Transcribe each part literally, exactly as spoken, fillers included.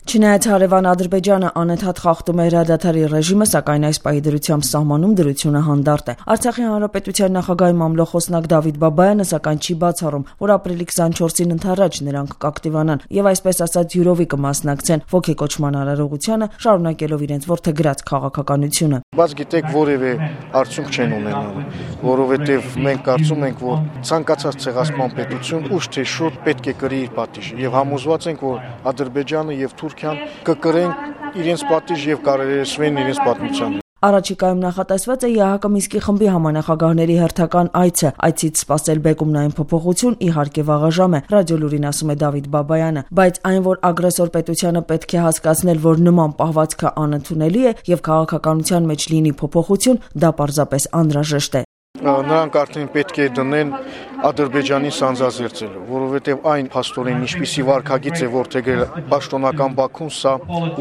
Չնայած հարևան Ադրբեջանը անընդհատ խախտում է հրադադարի ռեժիմը, սակայն այս պահի դրությամբ սահմանում դրությունը հանդարտ է։ Արցախի հանրապետության նախագահի մամլոխոսնակ Դավիթ Բաբայանը սակայն չի բացառում, որ ապրիլի քսանչորսին ընդառաջ նրանք կակտիվանան եւ այսպես ասած յուրովի կմասնակցեն ոգեկոչման արարողությանը, շարունակելով իրենց որդեգրած քաղաքականությունը։ Բայց գիտեք, որևէ արդյունք չեն ունենալու, որովհետեւ մենք կարծում ենք, որ ցանկացած ցեղասպան պետություն ուշ թե շուտ պետք է կրի իր պատիժը եւ համոզված ենք, որ Ադրբեջանը եւ Թուրքիան կկրեն իրենց պատիժ եւ կարելացվեն իրենց պատմության։ Առաջիկայում նախատեսված է ԵԱՀԿ Մինսկի խմբի համանախագահների հերթական այցը, այցից սպասել բեկումնային փոփոխություն իհարկե վաղաժամ է, ռադիոլուրին ասում է Դավիթ Բաբայանը, բայց այն, որ ագրեսոր պետությանը պետք է հասկացնել, որ նման պահվածքը անընդունելի է եւ քաղաքականության մեջ լինի փոփոխություն, դա պարզապես անհրաժեշտ է։ Նրանք արդեն պետք է դնեն Ադրբեջանի սանձազերծելու, որովհետև այն փաստորեն ինչպիսի վարքագիծ է որդեգրել պաշտոնական Բաքուն, սա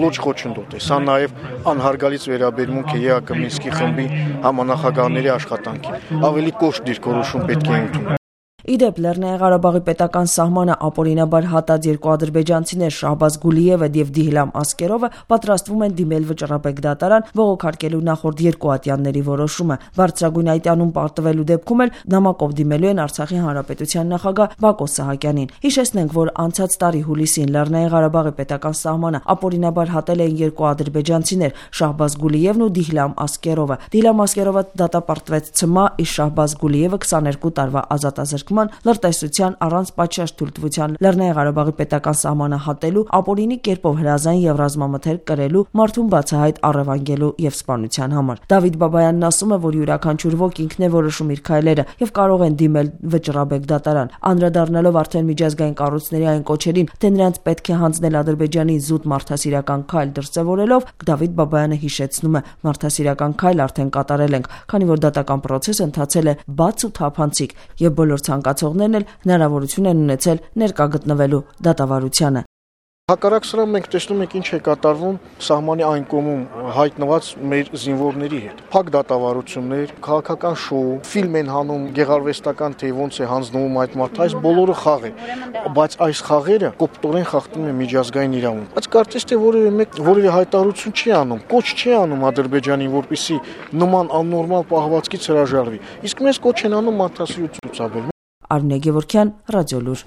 լուրջ խոչընդոտ է։ Սա նաև անհարգալից վերաբերմունք է ԵԱՀԿ Մինսկի խմբի համանախագահների աշխատանքին։ Ավելի կոշտ դիրքորոշում պետք է ընդունել։ Իդեպ Լեռնային Ղարաբաղի պետական սահմանը ապօրինաբար հատած երկու ադրբեջանցիներ Շահբազ Գուլիևը եւ Դիհլամ Ասկերովը պատրաստվում են դիմել վճռաբեկ դատարան բողոքարկելու նախորդ երկու ատյանների որոշումը։ Բարձրագույն այտանում պարտվելու դեպքում էլ նամակով դիմելու են Արցախի հանրապետության նախագահ Բակո Սահակյանին։ Հիշեցնենք, որ անցած տարի հուլիսին Լեռնային Ղարաբաղի պետական սահմանը ապօրինաբար հատել էին երկու ադրբեջանցիներ Շահբազ Գուլիևն ու Դիհլամ Ասկերովը։ Դիհլամ Ասկերովը դատապարտվեց ցմահ, իսկ Շահբազ Գուլիևը քսաներկու տարվա ազատազրկման լրտեսության առանց պատշաճ թույլտվության Լեռնային Ղարաբաղի պետական սահմանը հատելու, ապօրինի կերպով հրազան եւ ռազմամթերք կրելու, մարդուն բացահայտ առևանգելու եւ սպանության համար։ Դավիթ Բաբայանն ասում է, որ յուրաքանչյուր ոք ինքն է որոշում իր քայլերը եւ կարող են դիմել վճռաբեկ դատարան։ Անդրադառնալով արդեն միջազգային կառույցների այն կոչերին, թե նրանց պետք է հանձնել Ադրբեջանի զուտ մարդասիրական քայլ դրսեւորելով, Դավիթ Բաբայանը հիշեցնում է, մարդասիրական քայլ արդեն կատարել ենք, քանի որ դատական process-ը ընթացել է բաց ու թափանցիկ եւ բոլոր ցանկացողներն էլ հնարավորություն են ունեցել ներկա գտնվելու դատավարությանը։ Հակառակ սրան մենք տեսնում ենք ինչ է կատարվում սահմանի այն կողմում հայտնված մեր զինվորների հետ։ Փակ դատավարություններ, քաղաքական շոու, ֆիլմ են հանում գեղարվեստական, թե ոնց է հանձնվում այդ մարդը, այս բոլորը խաղ է, բայց այս խաղերը կոպտորեն խախտում են միջազգային իրավունք։ Բայց կարծես թե որևէ մեկ որևէ հայտարարություն չի անում, կոչ չի անում Ադրբեջանին, որպեսզի նման աննորմալ պահվածքից հրաժարվի։ Իսկ մեզ կոչ են անում մարդասիրություն ցուցաբերել։ Արմինե Գևորգյան, Ռադիոլուր։